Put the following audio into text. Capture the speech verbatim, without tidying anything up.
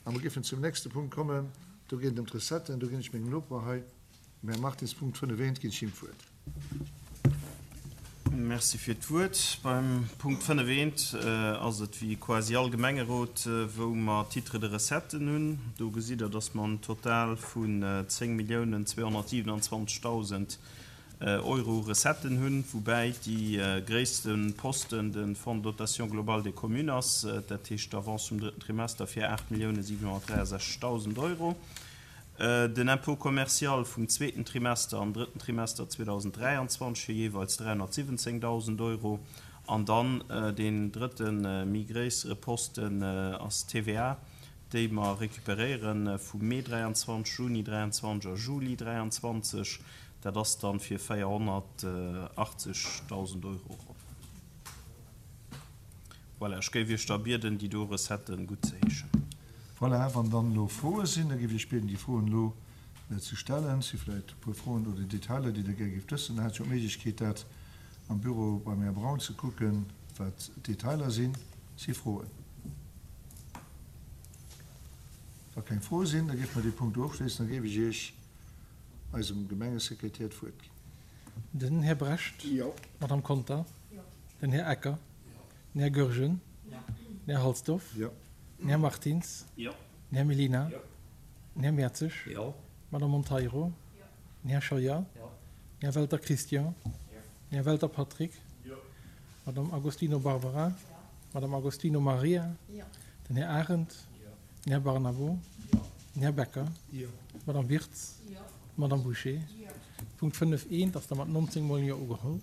A mer géifen zum nächste Punkt kommen. Do geet et ëm d'Recetten. Do ginn ech mengem Noper hei, dem Här Martins, Punkt fënnef eent, ginn ech him d'Wuert. Merci fir d'Wuert. Beim Punkt fënnef eent ass et wéi quasi all Gemengerot, wou mer Titres de recetten hunn. Do gesitt Der, dass mer en Total vun zéng Milliounen zweehonnertsiwenanzwanzegdausend Euro u Recetten hunn, woubäi déi gréisste Posten de Fonds de dotation globale des communes ass, dat heescht d'Avance vum drëtten Trimester fir aacht Milliounen siwenhonnertdräiasechzegdausend Euro, den Impôt commercial vum zweeten Trimester an drëtten Trimester zweedausenddräianzwanzeg fir jeeweils dräihonnertsiwwenzéngdausend Euro an dann deen drëtte méi gréissere Posten ass d'TVA, déi mer recuperéiere vum Mee dräianzwanzeg, Juni dräianzwanzeg a Juli dräianzwanzeg. Dat ass dann fir véierhonnertachtzegdausend Euro ronn. Voilà, ech géif Iech da bieden, déi do Recetten guttzeheeschen. Voilà, wann dann elo Froe sinn, da géif ech Iech bieden, déi Froen elo ze stellen. Et si vläicht e puer Froen oder Detailer, déi Der gär géift wëssen. Da hätt jo d'Méiglechkeet, dat am Büro beim Här Braun ze kucken, wat d'Detailer sinn. Si Froen? Wa keng Froe sinn, da géife mer dee Punkt do ofschléissen. Da géif ech Iech eisem Gemengesekretär d'Wuert ginn. Den Här Brecht. Jo. D'Madame Conter. Jo. Den Här Ecker. Jo. Den Här Goergen. Jo. Den Här Halsdorf. Jo. Den Här Martins. Jo. Den Här Mellina. Jo. Den Här Mertzig. Jo. D'Madame Monteiro. Jo. Den Här Scheuer. Jo. Den Här Welter Christian. Jo. Den Här Welter Patrick. Jo. D'Madame Agostino Barbara. Jo. D'Madame Agostino Maria. Jo. Den Här Arendt. Jo. Den Här Barnabo. Jo. Den Här Becker. Jo. D'Madame Wirtz. Jo. D'Madame Bouché. Jo. Punkt fënnef eent ass da mat nonzéng mol Jo ugeholl.